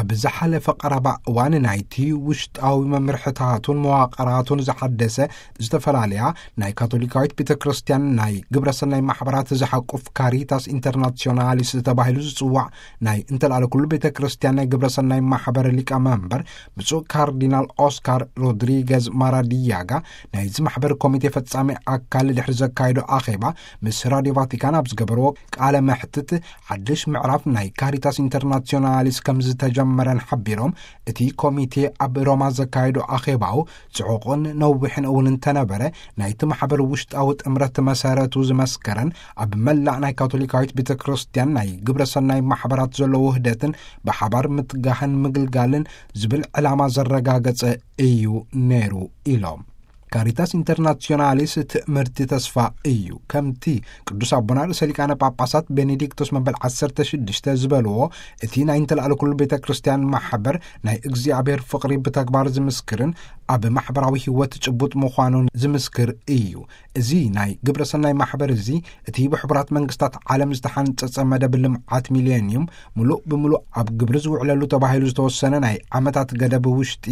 ኣብ ዝሓለፈ ቀረባ እዋን ናይቲ ውሽጣዊ መምርሕታቱን መዋቕራቱን ዝሓደሰ ዝተፈላለያ ናይ ካቶሊካዊት ቤተ ክርስቲያን ናይ ግብረ ሰናይ ማሕበራት ዝሓቁፍ ካሪታስ ኢንተርናሲዮናሊስ ተባሂሉ ዝጽዋዕ ናይ እንተልኣለ ኩሉ ቤተ ክርስቲያን ናይ ግብረ ሰናይ ማሕበር ሊቀ መንበር ብፁዕ ካርዲናል ኦስካር ሮድሪገዝ ማራዲያጋ ናይዚ ማሕበር ኮሚቴ ፈጻሚ ኣካል ድሕሪ ዘካየዶ ኣኼባ ምስ ራድዮ ቫቲካን ኣብ ዝገበርዎ ቃለ መሕትት ሓድሽ ምዕራፍ ናይ ካሪታስ ኢንተርናሲዮናሊስ ከም ዝተጀመረን ሓቢሮም እቲ ኮሚቴ ኣብ ሮማ ዘካየዶ ኣኼባኡ ጽዑቕን ነዊሕን እውን እንተነበረ ናይቲ ማሕበር ውሽጣዊ ጥምረት መሰረቱ ዝመስከረን ኣብ መላእ ናይ ካቶሊካዊት ቤተ ክርስቲያን ናይ ግብረ ሰናይ ማሕበራት ዘሎ ውህደትን ብሓባር ምትጋህን ምግልጋልን ዝብል ዕላማ ዘረጋገጸ እዩ ነይሩ ኢሎም። ካሪታስ ኢንተርናሲዮናሊስ ትእምርቲ ተስፋ እዩ። ከምቲ ቅዱስ ኣቦና ርእሰ ሊቃነ ጳጳሳት ቤኔዲክቶስ መበል ዓሰርተ ሽዱሽተ ዝበልዎ፣ እቲ ናይ እንተልኣለ ኩሉ ቤተ ክርስቲያን ማሕበር ናይ እግዚኣብሔር ፍቕሪ ብተግባር ዝምስክርን ኣብ ማሕበራዊ ህይወት ጭቡጥ ምዃኑን ዝምስክር እዩ። እዚ ናይ ግብረ ሰናይ ማሕበር እዚ እቲ ብሕቡራት መንግስታት ዓለም ዝተሓንጸጸ መደብ ልምዓት ሚሌኒዩም ምሉእ ብምሉእ ኣብ ግብሪ ዝውዕለሉ ተባሂሉ ዝተወሰነ ናይ ዓመታት ገደብ ውሽጢ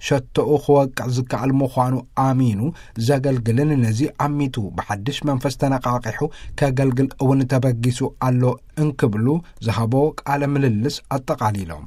ሸቶኡ ክወቅዕ ዝከኣል ምዃኑ ኣሚኑ ዘገልግልን ነዚ ኣሚቱ ብሓድሽ መንፈስ ተነቃቂሑ ከገልግል እውን ተበጊሱ ኣሎ እንክብሉ ዝሃቦ ቃለ ምልልስ ኣጠቓሊሎም።